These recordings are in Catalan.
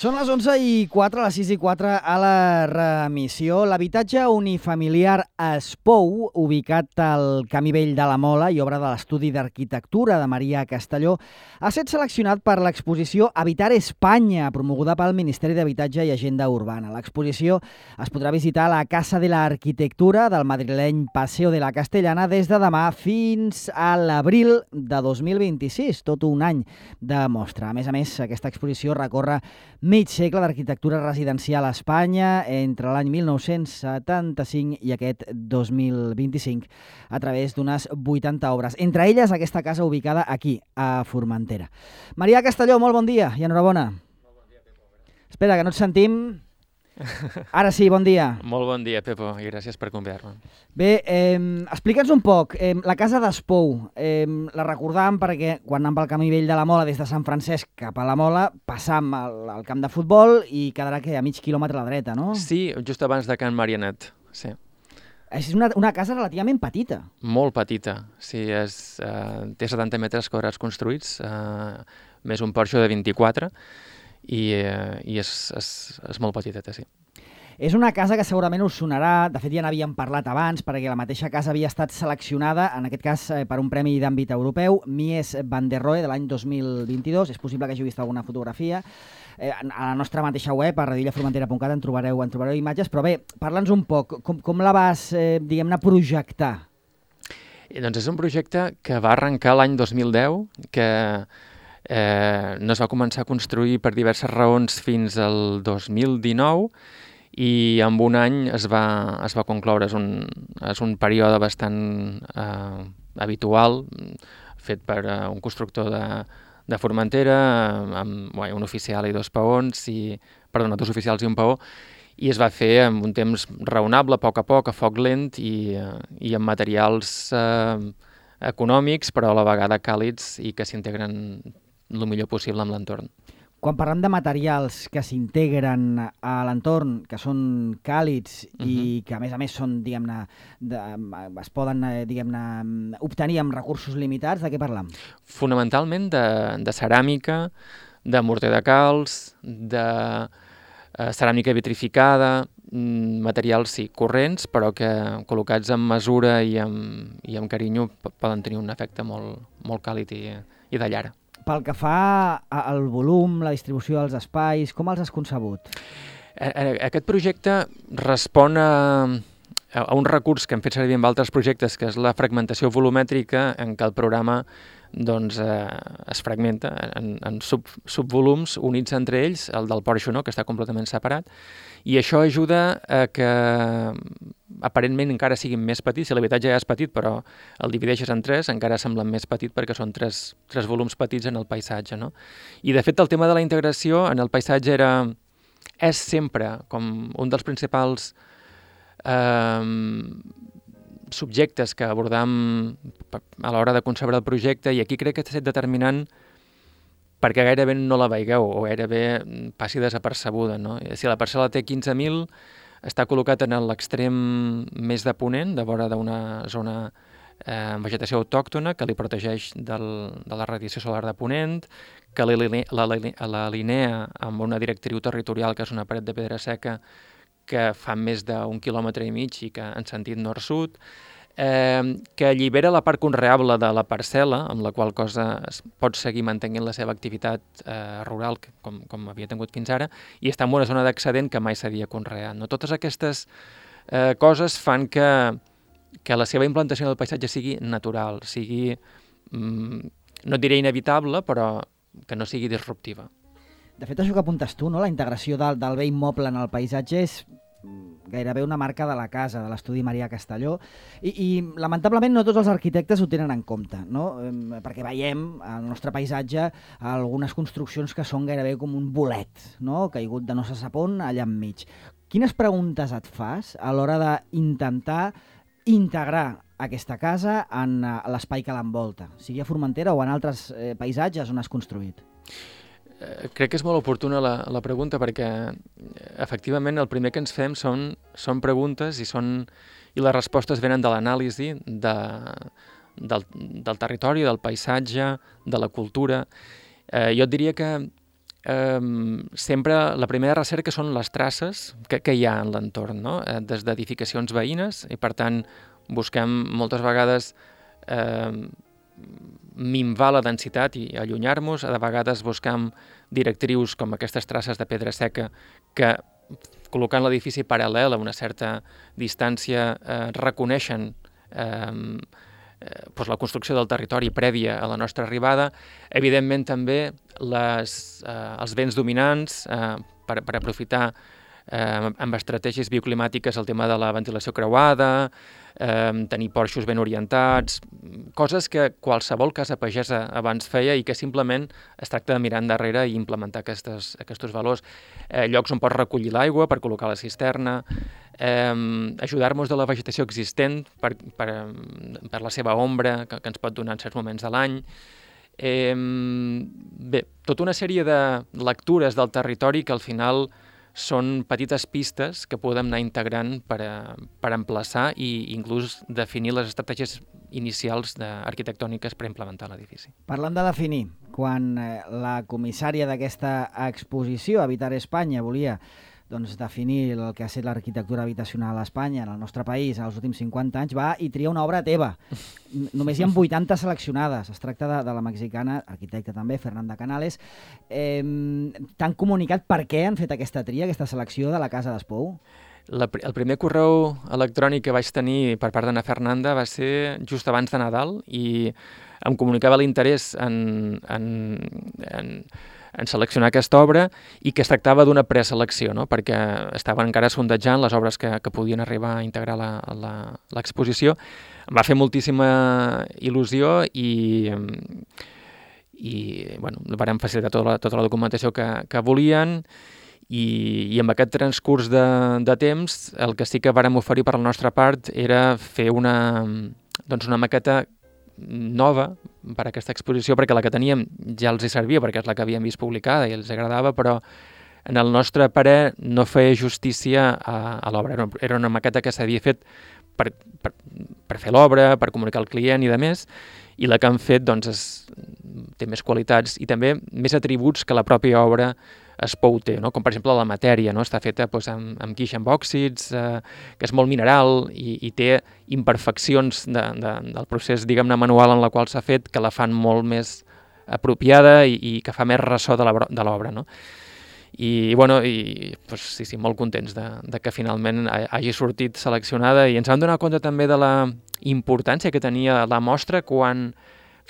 Són les 11:04, les 6:04 a la remissió. L'habitatge unifamiliar Espou, ubicat al Camí Vell de la Mola i obra de l'Estudi d'Arquitectura de Maria Castelló, ha estat seleccionat per l'exposició Habitar Espanya, promoguda pel Ministeri d'Habitatge i Agenda Urbana. L'exposició es podrà visitar a la Casa de l'Arquitectura del madrileny Paseo de la Castellana des de demà fins a l'abril de 2026, tot un any de mostra. A més, aquesta exposició recorre mig segle d'arquitectura residencial a Espanya entre l'any 1975 i aquest 2025 a través d'unes 80 obres, entre elles aquesta casa ubicada aquí, a Formentera. Maria Castelló, molt bon dia i enhorabona. Molt bon dia, Pepo. Espera, que no et sentim. Ara sí, bon dia. Molt bon dia, Pepo, i gràcies per convidar-me. Bé, explica'ns un poc, la casa d'Espou, la recordàvem perquè quan anàvem pel Camí Vell de la Mola des de Sant Francesc cap a la Mola, passam al camp de futbol i quedarà a mig quilòmetre a la dreta, no? Sí, just abans de Can Marianet, sí. És una casa relativament petita. Molt petita, sí, té 70 metres quadrats construïts, més un porxo de 24, i és molt petiteta, sí. És una casa que segurament us sonarà, de fet ja n'havíem parlat abans, perquè la mateixa casa havia estat seleccionada, en aquest cas per un premi d'àmbit europeu, Mies van der Rohe, de l'any 2022, és possible que hagi vist alguna fotografia. A la nostra mateixa web, a radillaformentera.cat, en trobareu imatges, però bé, parla'ns un poc, com la vas, diguem-ne, projectar? Doncs és un projecte que va arrencar l'any 2010, que no es va començar a construir per diverses raons fins al 2019, i en un any es va concloure. És un període bastant habitual, fet per un constructor de Formentera, amb un oficial i dos peons, dos oficials i un peó, i es va fer en un temps raonable, a poc, a foc lent, i amb materials econòmics, però a la vegada càlids i que s'integren el millor possible amb l'entorn. Quan parlem de materials que s'integren a l'entorn, que són càlids i que a més són, diguem-ne, es poden, diguem-ne, obtenir amb recursos limitats, de què parlam? Fonamentalment de ceràmica, de morter de calç, de ceràmica vitrificada, materials, sí, corrents, però que col·locats amb mesura i amb carinyo poden tenir un efecte molt càlid i de llar. Pel que fa al volum, la distribució dels espais, com els has concebut? Aquest projecte respon a un recurs que hem fet servir en altres projectes, que és la fragmentació volumètrica, en què el programa es fragmenta en subvolums units entre ells, el del porxo no, que està completament separat, i això ajuda a que aparentment encara siguin més petits. Si l'habitatge ja és petit, però el divideixes en tres, encara sembla més petit perquè són tres volums petits en el paisatge, no? I de fet el tema de la integració en el paisatge és sempre com un dels principals subjectes que abordam a l'hora de concebre el projecte, i aquí crec que ha estat determinant perquè gairebé no la veigueu o gairebé passi desapercebuda, no? Si la parcel·la té 15.000, està col·locat en l'extrem més de ponent, de vora d'una zona amb vegetació autòctona que li protegeix de la radiació solar de ponent, que l'alinea amb una directriu territorial, que és una paret de pedra seca que fa més d'1,5 quilòmetre i que en sentit nord-sud, que allibera la part conreable de la parcel·la, amb la qual cosa es pot seguir mantenint la seva activitat rural, com havia tingut fins ara, i està en una zona d'excedent que mai s'havia conreat. No? Totes aquestes coses fan que la seva implantació del paisatge sigui natural, sigui, no diré inevitable, però que no sigui disruptiva. De fet, això que apuntes tu, no? La integració del bé immoble en el paisatge és gairebé una marca de la casa, de l'estudi Maria Castelló, i lamentablement no tots els arquitectes ho tenen en compte, no? Perquè veiem al nostre paisatge algunes construccions que són gairebé com un bolet, no? Caigut de no se sap on allà enmig. Quines preguntes et fas a l'hora d'intentar integrar aquesta casa en l'espai que l'envolta, sigui a Formentera o en altres paisatges on has construït? Crec que és molt oportuna la pregunta, perquè efectivament el primer que ens fem són preguntes i les respostes venen de l'anàlisi del territori, del paisatge, de la cultura. Jo et diria que sempre la primera recerca són les traces que hi ha en l'entorn, no? Des d'edificacions veïnes, i per tant busquem moltes vegades minvar la densitat i allunyar-nos. De vegades buscam directrius com aquestes traces de pedra seca que, col·locant l'edifici paral·lel a una certa distància, reconeixen la construcció del territori prèvia a la nostra arribada. Evidentment també els vents dominants per aprofitar amb estratègies bioclimàtiques el tema de la ventilació creuada, tenir porxos ben orientats, coses que qualsevol casa pagesa abans feia i que simplement es tracta de mirar endarrere i implementar aquests valors. Llocs on pots recollir l'aigua per col·locar la cisterna, ajudar-nos de la vegetació existent per la seva ombra que ens pot donar en certs moments de l'any. Bé, tota una sèrie de lectures del territori que al final són petites pistes que podem anar integrant per emplaçar i inclús definir les estratègies inicials arquitectòniques per implementar l'edifici. Parlant de definir, quan la comissària d'aquesta exposició, Habitar Espanya, volia definir el que ha estat l'arquitectura habitacional a Espanya, en el nostre país, en els últims 50 anys, va i tria una obra teva. Només hi ha 80 seleccionades. Es tracta de la mexicana, arquitecta també, Fernanda Canales. T'han comunicat per què han fet aquesta tria, aquesta selecció de la Casa d'Espou? El primer correu electrònic que vaig tenir per part d'Anna Fernanda va ser just abans de Nadal i em comunicava l'interès en seleccionar aquesta obra i que es tractava d'una preselecció, no? Perquè estaven encara sondejant les obres que podien arribar a integrar l'exposició. Em va fer moltíssima il·lusió i vàrem facilitar tota la documentació que volien i amb aquest transcurs de temps el que sí que vàrem oferir per la nostra part era fer una maqueta nova per a aquesta exposició, perquè la que teníem ja els hi servia, perquè és la que havíem vist publicada i els agradava, però en el nostre parer no feia justícia a l'obra. Era una maqueta que s'havia fet per fer l'obra, per comunicar al client i de més, i la que han fet té més qualitats i també més atributs que la pròpia obra Espou té, no? Com per exemple la matèria, no? Està feta amb guix, amb òxids, que és molt mineral i té imperfeccions del procés, diguem-ne, manual en la qual s'ha fet, que la fan molt més apropiada i que fa més ressò de l'obra, no? I sí, molt contents de que finalment hagi sortit seleccionada i ens vam donar compte també de la importància que tenia la mostra quan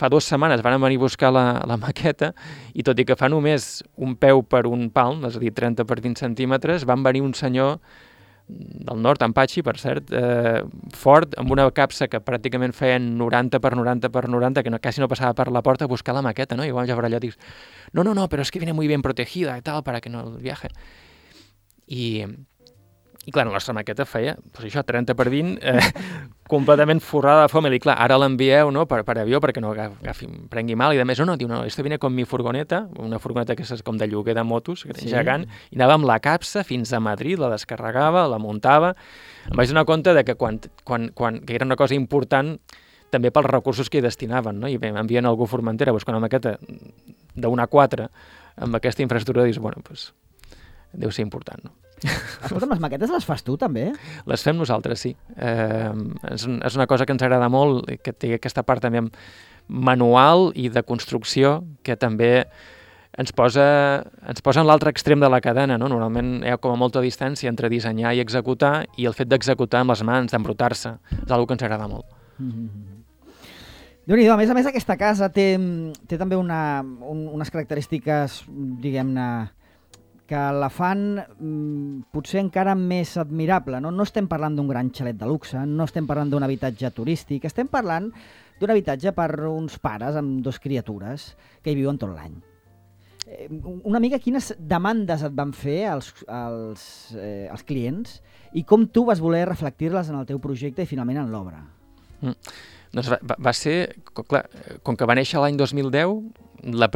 fa 2 setmanes van venir a buscar la maqueta i tot i que fa només un peu per un palm, és a dir, 30 per 20 centímetres, van venir un senyor del nord, Ampachi, per cert, fort, amb una capsa que pràcticament feien 90 per 90 per 90, que quasi no passava per la porta a buscar la maqueta, no? I vam veure allò i dius, no, però es que viene muy bien protegida y tal, para que no viaje. I clar, la nostra maqueta feia, això, 30 per 20, completament forrada de fòmil. I clar, ara l'envieu per avió perquè no prengui mal. I a més, diu, esto viene con mi furgoneta, una furgoneta que és com de lloguer de motos, que és gegant, i anava amb la capsa fins a Madrid, la descarregava, la muntava. Em vaig donar compte de que que era una cosa important també pels recursos que hi destinaven, no? I bé, m'envien algú a Formentera buscant una maqueta d'una 4 amb aquesta infraestructura, i dius, doncs, deu ser important, no? Escolta'm, les maquetes les fas tu, també? Les fem nosaltres, sí. És una cosa que ens agrada molt, que té aquesta part també manual i de construcció, que també ens posa en l'altre extrem de la cadena, no? Normalment hi ha com a molta distància entre dissenyar i executar, i el fet d'executar amb les mans, d'embrutar-se, és una que ens agrada molt. Déu-n'hi-do, a més aquesta casa té també unes característiques, diguem-ne, que la fan potser encara més admirable. No estem parlant d'un gran xalet de luxe, no estem parlant d'un habitatge turístic, estem parlant d'un habitatge per uns pares amb 2 criatures que hi viuen tot l'any. Una mica quines demandes et van fer els clients i com tu vas voler reflectir-les en el teu projecte i finalment en l'obra? Doncs va ser, clar, com que va néixer l'any 2010, el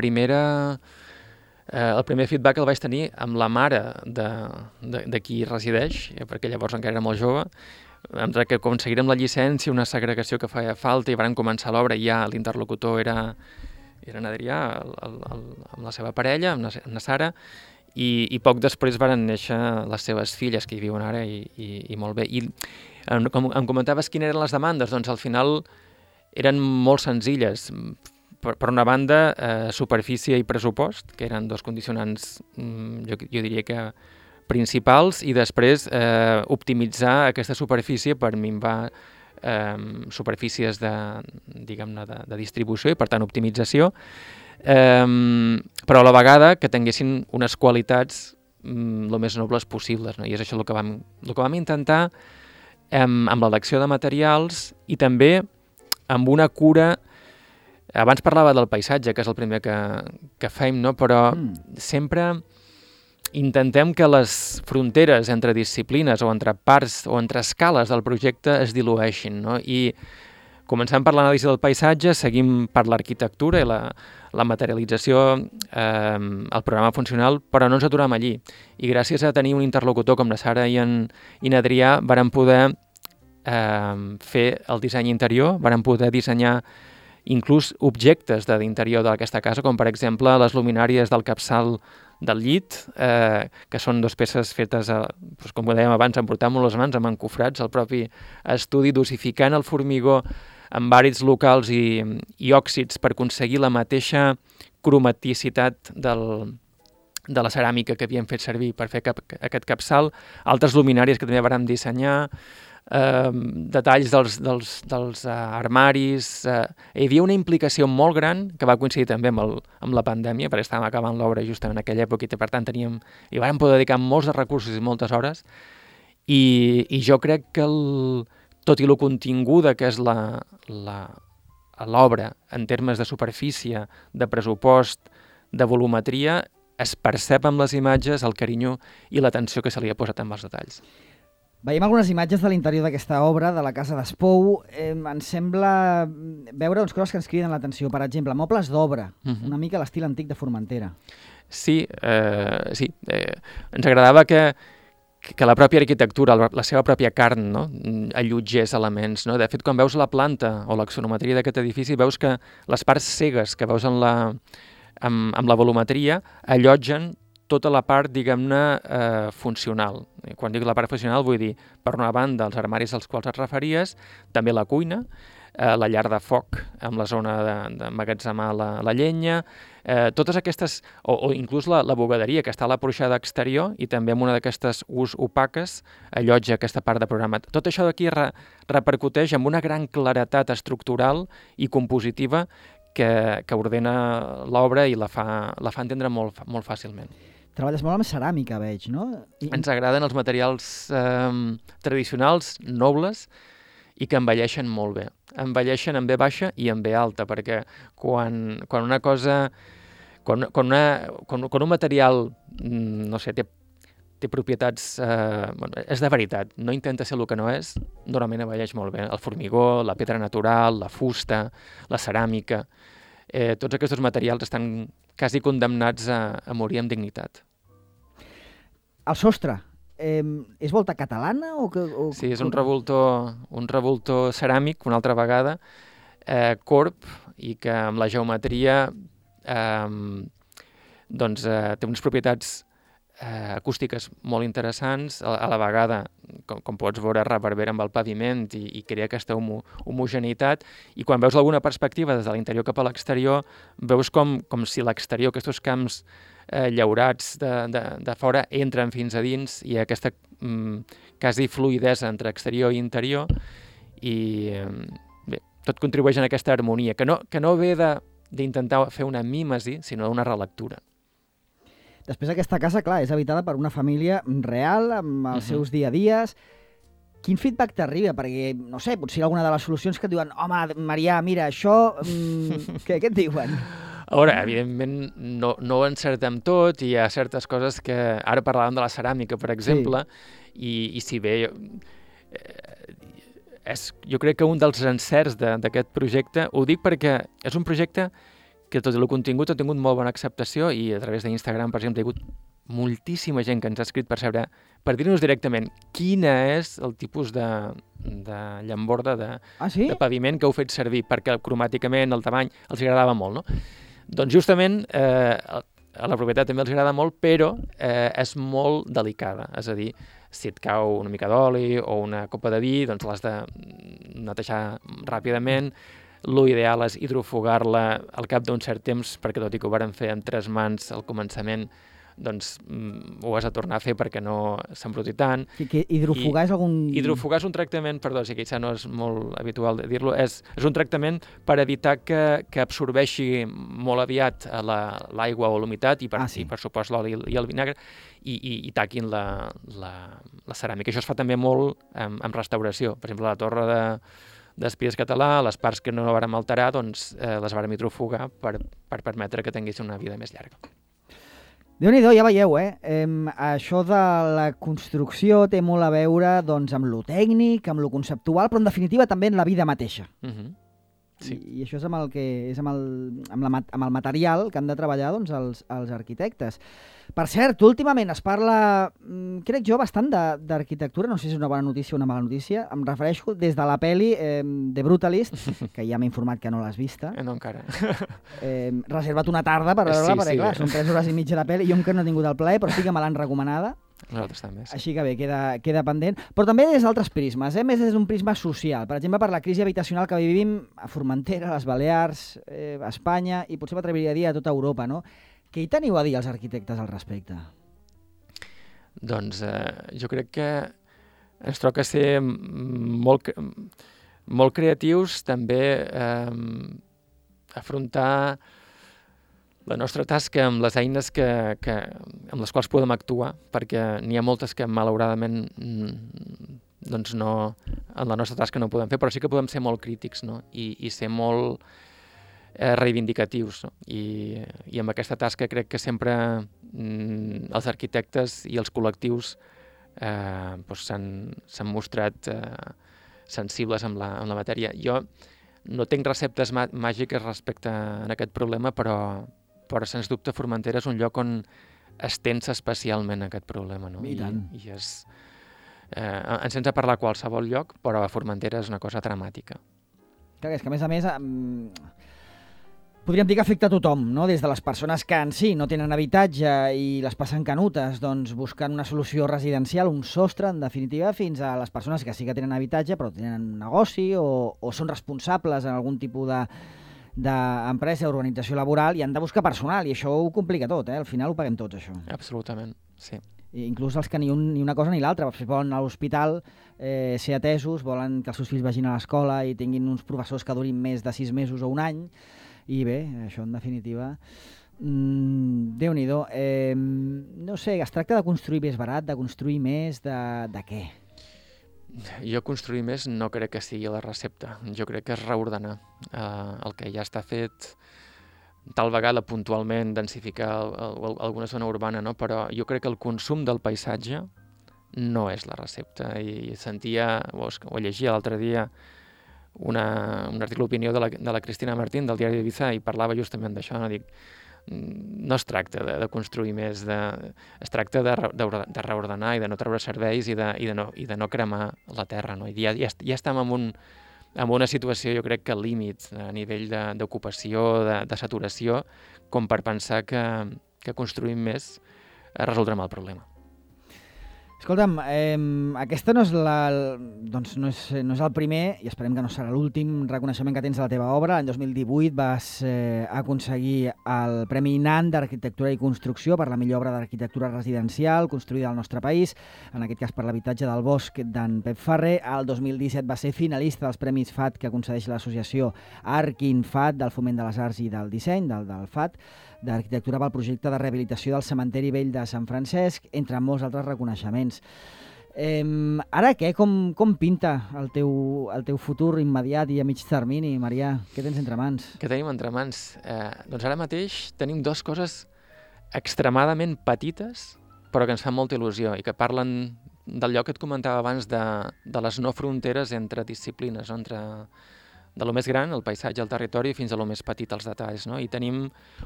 primer feedback el vaig tenir amb la mare de qui resideix, perquè llavors encara era molt jove, entre que aconseguirem la llicència, una segregació que feia falta, i van començar l'obra i ja l'interlocutor era Era en Adrià amb la seva parella, amb la Sara, i poc després varen néixer les seves filles, que hi viuen ara, i molt bé. I com em comentaves quines eren les demandes, doncs al final eren molt senzilles. Per una banda, superfície i pressupost, que eren dos condicionants, jo diria que principals, i després optimitzar aquesta superfície per minvar superfícies de distribució i, per tant, optimització, però a la vegada que tinguessin unes qualitats el més nobles possibles, no? I és això el que vam intentar amb l'elecció de materials i també amb una cura. Abans parlava del paisatge, que és el primer que fem, no? Però sempre intentem que les fronteres entre disciplines o entre parts o entre escales del projecte es dilueixin, no? I començant per l'anàlisi del paisatge, seguim per l'arquitectura i la materialització, el programa funcional, però no ens aturem allí. I gràcies a tenir un interlocutor com la Sara i en Adrià vàrem poder fer el disseny interior, vàrem poder dissenyar inclús objectes de l'interior d'aquesta casa, com per exemple les luminàries del capçal del llit, que són dues peces fetes, com dèiem abans, emportant-nos les mans amb encofrats al propi estudi, dosificant el formigó amb àrids locals i òxids per aconseguir la mateixa cromaticitat de la ceràmica que havíem fet servir per fer aquest capçal, altres luminàries que també vàrem dissenyar, detalls dels armaris. Hi havia una implicació molt gran que va coincidir també amb la pandèmia, perquè estàvem acabant l'obra justament en aquella època i per tant hi vàrem poder dedicar molts de recursos i moltes hores, i jo crec que tot i lo continguda que és l'obra en termes de superfície, de pressupost, de volumetria, es percep amb les imatges el carinyo i l'atenció que se li ha posat amb els detalls. Veiem algunes imatges de l'interior d'aquesta obra, de la casa d'Espou. Ens sembla veure coses que ens criden l'atenció. Per exemple, mobles d'obra, una mica a l'estil antic de Formentera. Sí, ens agradava que la pròpia arquitectura, la seva pròpia carn, no? Allotgés elements. No? De fet, quan veus la planta o l'axonometria d'aquest edifici, veus que les parts cegues que veus amb la volumetria allotgen tota la part, diguem-ne, funcional. Quan dic la part funcional vull dir, per una banda, els armaris als quals et referies, també la cuina, la llar de foc amb la zona d'emmagatzemar la llenya, totes aquestes, o inclús la bugaderia que està a la porxada exterior i també amb una d'aquestes opaques allotja aquesta part de programa. Tot això d'aquí repercuteix amb una gran claretat estructural i compositiva que ordena l'obra i la fa entendre molt fàcilment. Treballes molt amb ceràmica, veig, no? Ens agraden els materials tradicionals, nobles, i que envelleixen molt bé. Envelleixen en B baixa i en B alta, perquè quan una cosa... Quan un material, no sé, té propietats... és de veritat, no intenta ser el que no és, normalment envelleix molt bé. El formigó, la pedra natural, la fusta, la ceràmica... tots aquests materials estan quasi condemnats a morir amb dignitat. El sostre, és volta catalana? Sí, és un revoltó ceràmic, una altra vegada, corb, i que amb la geometria té unes propietats acústiques molt interessants, a la vegada, com pots veure, reverbera amb el paviment i crea aquesta homogeneïtat, i quan veus alguna perspectiva des de l'interior cap a l'exterior, veus com si l'exterior, aquests camps llaurats de fora, entren fins a dins, i aquesta quasi fluïdesa entre exterior i interior, i bé, tot contribueix a aquesta harmonia, que no ve d'intentar fer una mímesi, sinó una relectura. Després aquesta casa, clar, és habitada per una família real, amb els seus dia a dies. Quin feedback t'arriba? Perquè, no sé, potser alguna de les solucions que et diuen home, Marià, mira, això... Què et diuen? A veure, evidentment no ho encertem tot, i hi ha certes coses que... Ara parlàvem de la ceràmica, per exemple, i si bé... Jo crec que un dels encerts d'aquest projecte, ho dic perquè és un projecte que tot i el contingut ha tingut molt bona acceptació, i a través d'Instagram, per exemple, hi ha hagut moltíssima gent que ens ha escrit per dir-nos directament quina és el tipus de llamborda de paviment que heu fet servir, perquè cromàticament el tamany els agradava molt, no? Doncs justament a la propietat també els agrada molt, però és molt delicada. És a dir, si et cau una mica d'oli o una copa de vi, doncs l'has de netejar ràpidament. Lo ideal és hidrofugar-la al cap d'un cert temps, perquè tot i que ho varen fer amb 3 mans al començament, doncs ho has de tornar a fer perquè no s'embruti tant. Que hidrofugar és algun... Hidrofugar és un tractament, perdó, si això no és molt habitual de dir-lo, és un tractament per evitar que absorbeixi molt aviat l'aigua o l'humitat i per supost l'oli i el vinagre i taquin la ceràmica. Això es fa també molt amb restauració. Per exemple, la torre d'Espies Català, les parts que no vàrem alterar, doncs les vàrem hidrofugar per permetre que tingués una vida més llarga. Déu-n'hi-do, ja veieu, això de la construcció té molt a veure doncs, amb lo tècnic, amb lo conceptual, però en definitiva també en la vida mateixa. Sí. I això és amb el que és amb el material que han de treballar doncs, els arquitectes. Per cert, últimament es parla, crec jo, bastant d'arquitectura, no sé si és una bona notícia o una mala notícia, em refereixo des de la pel·li The Brutalist, que ja m'he informat que no l'has vista. No encara. Reserva't una tarda per veure-la, perquè clar, són 3 hores i mitja de pel·li, jo encara no he tingut el plaer, però sí que me l'han recomanada. Nosaltres també, sí. Així que bé, queda pendent. Però també des d'altres prismes, més des d'un prisma social. Per exemple, per la crisi habitacional que vivim a Formentera, a les Balears, a Espanya, i potser m'atreviria a dir a tota Europa, no? Què hi teniu a dir els arquitectes al respecte? Doncs jo crec que ens toca ser molt creatius, també afrontar la nostra tasca amb les eines amb les quals podem actuar, perquè n'hi ha moltes que malauradament doncs no, en la nostra tasca no podem fer, però sí que podem ser molt crítics, no? I ser molt reivindicatius, no? I amb aquesta tasca crec que sempre els arquitectes i els col·lectius s'han mostrat sensibles amb la matèria. Jo no tinc receptes màgiques respecte a aquest problema, però sens dubte Formentera és un lloc on es tensa especialment aquest problema, no? I tant. I és... ens sents a parlar a qualsevol lloc, però a Formentera és una cosa dramàtica. Clar, és que a més podríem dir que afecta a tothom, no? Des de les persones que en si no tenen habitatge i les passen canutes, doncs buscant una solució residencial, un sostre, en definitiva, fins a les persones que sí que tenen habitatge però tenen un negoci o són responsables en algun tipus d'empresa, organització laboral i han de buscar personal, i això ho complica tot, al final ho paguem tots, això. Absolutament, sí. I inclús els que ni una cosa ni l'altra, volen anar a l'hospital, ser atesos, volen que els seus fills vagin a l'escola i tinguin uns professors que durin més de 6 mesos o un any, i bé, això en definitiva... Déu-n'hi-do. No sé, es tracta de construir més barat, de construir més, de què? Jo construir més no crec que sigui la recepta. Jo crec que és reordenar el que ja està fet, tal vegada puntualment densificar alguna zona urbana, no? Però jo crec que el consum del paisatge no és la recepta. I sentia, o llegia l'altre dia, un article d'opinió de la Cristina Martín del diari d'Ibiza i parlava justament d'això, no? Dic, no es tracta de construir més, es tracta de reordenar i de no treure serveis i de no cremar la terra, no? I ja estem en una situació, jo crec que límit a nivell d'ocupació, de saturació, com per pensar que construïm més resoldrem el problema. Escolta'm, aquesta no és no és el primer, i esperem que no serà l'últim reconeixement que tens de la teva obra. L'any 2018 vas aconseguir el Premi NAN d'Arquitectura i Construcció per la millor obra d'arquitectura residencial construïda al nostre país, en aquest cas per l'habitatge del Bosc d'en Pep Ferrer. El 2017 va ser finalista dels Premis FAT que concedeix l'associació Arquinfat del Foment de les Arts i del Disseny, del FAT, d'arquitectura pel projecte de rehabilitació del cementeri vell de Sant Francesc, entre molts altres reconeixements. Ara què? Com pinta el teu futur immediat i a mig termini, Marià? Què tens entre mans? Què tenim entre mans? Doncs ara mateix tenim 2 coses extremadament petites, però que ens fan molta il·lusió i que parlen del lloc que et comentava abans de les no fronteres entre disciplines, no? De lo més gran, el paisatge, el territori, fins a lo més petit, els detalls, no? I tenim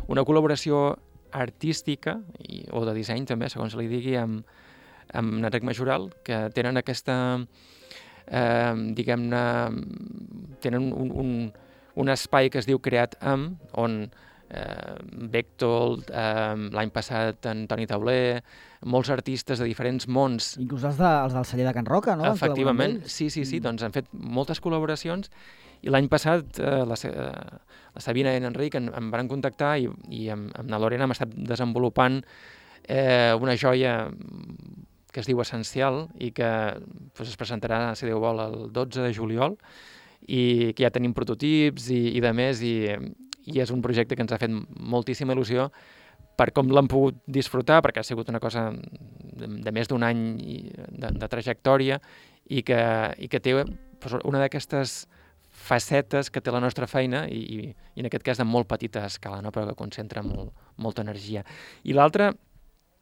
una col·laboració artística o de disseny també, segons li digui, amb Enric Majoral, que tenen aquesta, diguem-ne, tenen un espai que es diu Creat Amb, on Bechtold, l'any passat en Toni Tauler, molts artistes de diferents mons. Inclús els del celler de Can Roca, no? Efectivament, sí, doncs han fet moltes col·laboracions i l'any passat la Sabina i en Enric em van contactar i amb la Lorena hem estat desenvolupant una joia que es diu Essencial i que es presentarà, si Déu vol, el 12 de juliol i que ja tenim prototips i de més i és un projecte que ens ha fet moltíssima il·lusió per com l'hem pogut disfrutar, perquè ha sigut una cosa de més d'un any de trajectòria i que té una d'aquestes facetes que té la nostra feina i en aquest cas de molt petita escala, no? Però que concentra molta energia. I l'altra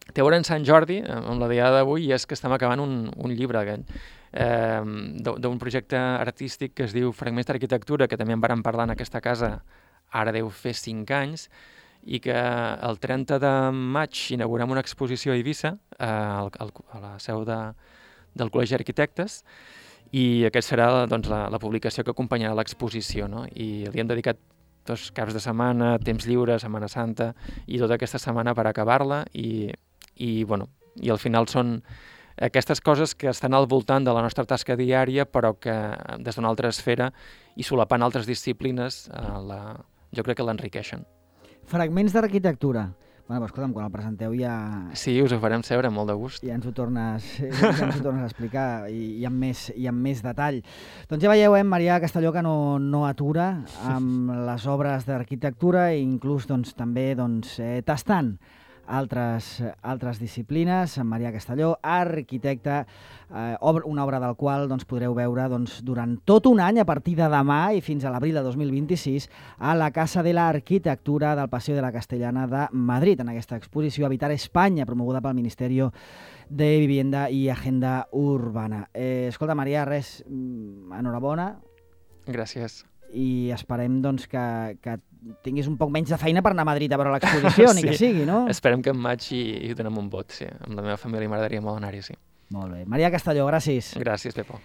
té a veure en Sant Jordi, amb la diada d'avui, i és que estem acabant un llibre d'un projecte artístic que es diu Fragments d'Arquitectura, que també en vàrem parlar en aquesta casa, ara deu fer 5 anys, i que el 30 de maig inaugurem una exposició a Eivissa, a la seu del Col·legi d'Arquitectes, i aquest serà doncs, la publicació que acompanyarà l'exposició, no? I li hem dedicat 2 caps de setmana, temps lliure, Setmana Santa, i tota aquesta setmana per acabar-la, i al final són aquestes coses que estan al voltant de la nostra tasca diària, però que des d'una altra esfera i solapant altres disciplines, jo crec que l'enriqueixen. Fragments d'Arquitectura. Bueno, però escolta'm, quan el presenteu ja... Sí, us ho farem saber, molt de gust. Ja ens ho tornes a explicar i amb més detall. Doncs ja veieu, Marià Castelló, que no atura amb les obres d'arquitectura i inclús també tastant altres disciplines. Marià Castelló, arquitecte, una obra del qual podreu veure durant tot un any, a partir de demà i fins a l'abril de 2026, a la Casa de l'Arquitectura del Paseo de la Castellana de Madrid, en aquesta exposició Habitar Espanya, promoguda pel Ministeri de Vivienda i Agenda Urbana. Escolta, Marià, res, enhorabona. Gràcies. I esperem que tinguis un poc menys de feina per anar a Madrid a veure l'exposició, ni que sigui, no? Esperem que en maig hi donem un vot, sí. Amb la meva família m'agradaria molt anar-hi, sí. Molt bé. Marià Castelló, gràcies. Gràcies, Pepo.